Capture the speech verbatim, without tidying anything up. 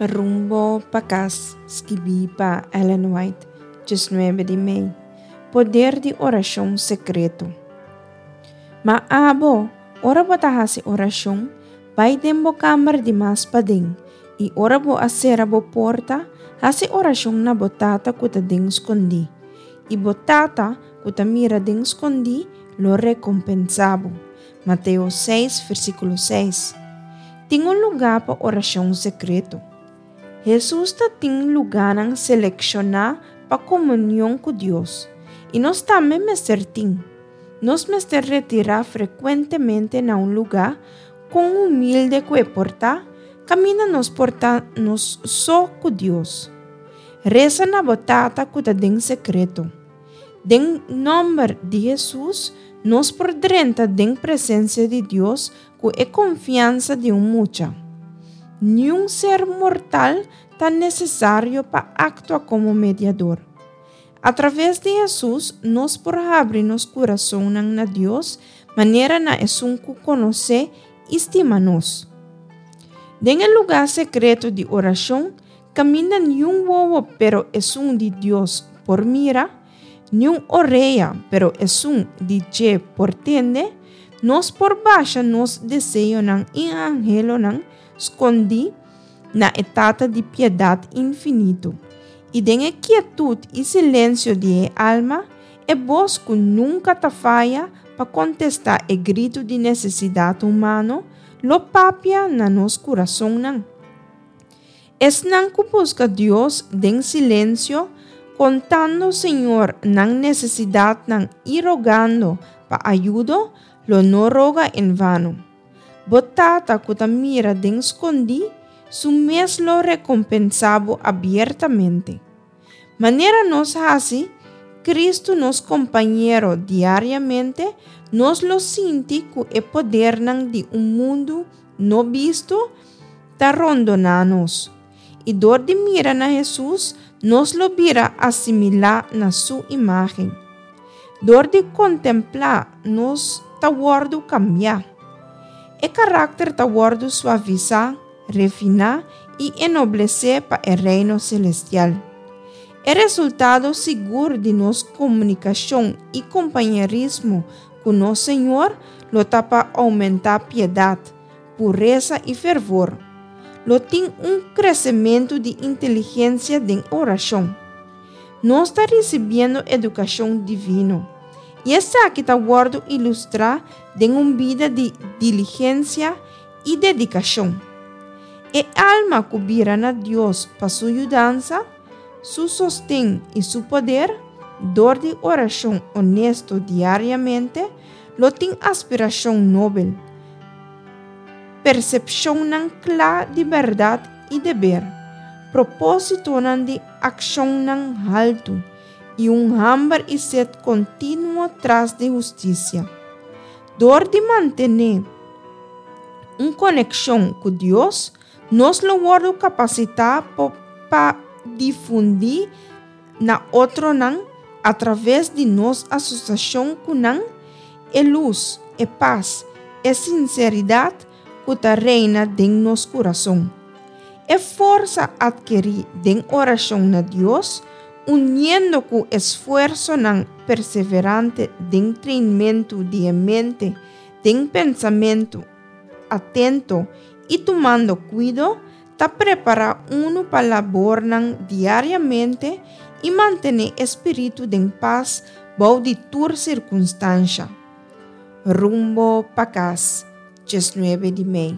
Rumbo pa Kas, skibí pa Ellen White, diesnuebe di mei. Poder di orashon sekreto. Ma abo, ora bo ta hasi orashon, bai den bo kamber di mas paden, i ora bo a sera bo porta, hasi orashon na bo Tata ku ta den skondí. I bo Tata, ku ta mira den skondí, lo rekompensá bo. Mateo seis, versíkulo seis. Tin un lugá pa orashon sekreto. Hesus ta tin lugánan selekshoná pa komunion ku Dios, i nos tambe mester tin. Nos mester retirá frekuentemente na un lugá, kon humilde ku e por ta, kaminda nos por ta nos so ku Dios. Resa na bo Tata ku ta den sekreto. Den nòmber di Hesus, nos por drenta den presensia di Dios ku e konfiansa di un mucha. Niun ser mortal ta nesesario pa aktua komo mediador. Atraves di Hesus, nos por habri nos kurasonnan na Dios manera na esun ku konosé i stima nos. Den e lugá sekreto di orashon, kaminda niun wowo pero esun di Dios por mira, niun orea pero esun di dje por tende, nos por basha nos deseonan i anhelonan skondí na e Tata di piedat infinito. I den e kietut i silensio di e alma, e bos ku nunka ta faya pa kontestá e gritu di nesesidat humano, lo papia na nos kurasonnan. Esnan ku buska Dios den silensio, kontando Señor nan nesesidatnan i rogando pa ayudo, lo no roga en vano. Bo Tata ku ta mira den skondí, su mes lo rekompensá bo abiertamente. Manera nos hasi Kristu nos kompañero diariamente, nos lo sinti ku e podernan di un mundu no bisto ta rondoná nos. I dor di mira na Hesus, nos lo bira asimilá na su imágen. Dor di kontemplá, nos ta wòrdu kambiá. E karakter ta wòrdu suavisá, refiná i enoblesé pa e reino selestial. E resultado sigur di nos komunikashon i kompañerismo ku nos Señor lo ta pa oumentá piedat, puresa i fervor. Lo tin un kresementu di inteligensia den orashon. Nos ta risibiendo edukashon divino, i esaki ta wòrdu ilustrá den un bida di diligensia i dedikashon. E alma ku bira na Dios pa su yudansa, su sosten i su poder, dor di orashon onesto diariamente, lo tin aspirashon nobel, persepshonnan kla di bèrdat i deber, propósitonan di akshonnan haltu i un hamber i set kontinuo tras di hustisia. Dor di mantené un konekshon ku Dios, nos lo wòrdu kapasitá pa difundí na otronan atraves di nos asosiashon ku nan e lus, e pas, e sinseridat ku ta reina den nos kurason. E forsa atkerí den orashon na Dios, uniendo ku esfuersonan perseverante den treinmentu di e mente, den pensamentu atento i tumando kuido, ta prepará unu pa labornan diariamente i mantené e spiritu den pas bou di tur sirkunstansha. Rumbo pa Kas, diesnuebe di mei.